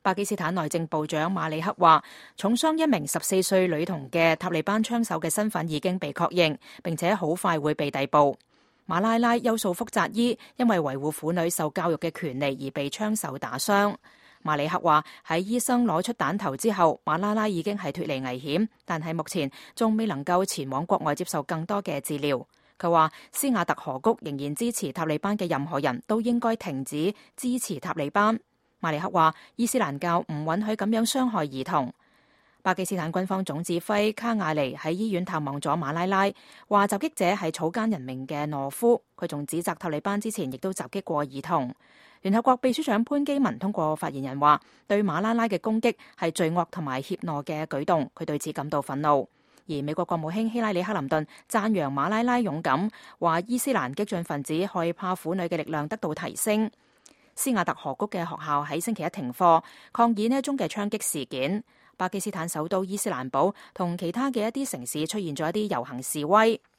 巴基斯坦內政部長馬里克話，重傷一名14歲女童嘅塔利班槍手嘅身份已經被確認，並且好快會被逮捕。馬拉拉優素福扎伊因為維護婦女受教育嘅權利而被槍手打傷。馬里克話，喺醫生攞出彈頭之後，馬拉拉已經係脫離危險，但係目前仲未能夠前往國外接受更多嘅治療。佢話，斯瓦特河谷仍然支持塔利班嘅任何人都應該停止支持塔利班。馬里克話，伊斯蘭教唔允許咁樣傷害兒童。巴基斯坦軍方總指揮卡瓦尼喺醫院探望咗馬拉拉，話襲擊者係草菅人命嘅懦夫。佢仲指責塔利班之前亦都襲擊過兒童。聯合國秘書長潘基文通過發言人話，對馬拉拉嘅攻擊係罪惡同埋怯懦嘅舉動，佢對此感到憤怒。而美國國務卿希拉里克林頓讚揚馬拉拉勇敢，話伊斯蘭激進分子害怕婦女嘅力量得到提升。斯瓦特河谷嘅學校喺星期一停課，抗議呢一宗嘅槍擊事件。巴基斯坦首都伊斯蘭堡同其他嘅一啲城市出現咗一啲遊行示威。